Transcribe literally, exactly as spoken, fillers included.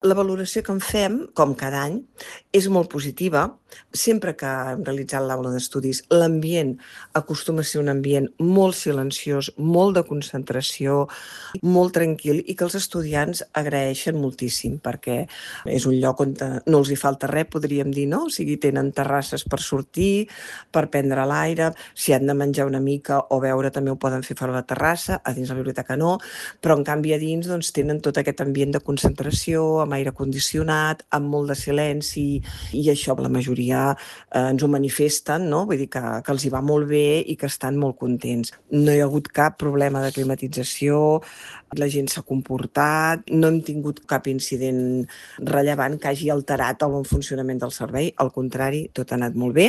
La valoració que en fem, com cada any, és molt positiva. Sempre que hem realitzat l'aula d'estudis, l'ambient acostuma a ser un ambient molt silenciós, molt de concentració, molt tranquil i que els estudiants agraeixen moltíssim perquè és un lloc on no els hi falta res, podríem dir, no? O sigui, tenen terrasses per sortir, per prendre l'aire, si han de menjar una mica o beure també ho poden fer fora la terrassa, a dins la biblioteca no, però en canvi a dins doncs, tenen tot aquest ambient de concentració, amb aire condicionat, amb molt de silenci, i això la majoria eh, ens ho manifesten, no? Vull dir que, que els hi va molt bé i que estan molt contents. No hi ha hagut cap problema de climatització, la gent s'ha comportat, no hem tingut cap incident rellevant que hagi alterat el bon funcionament del servei, al contrari, tot ha anat molt bé.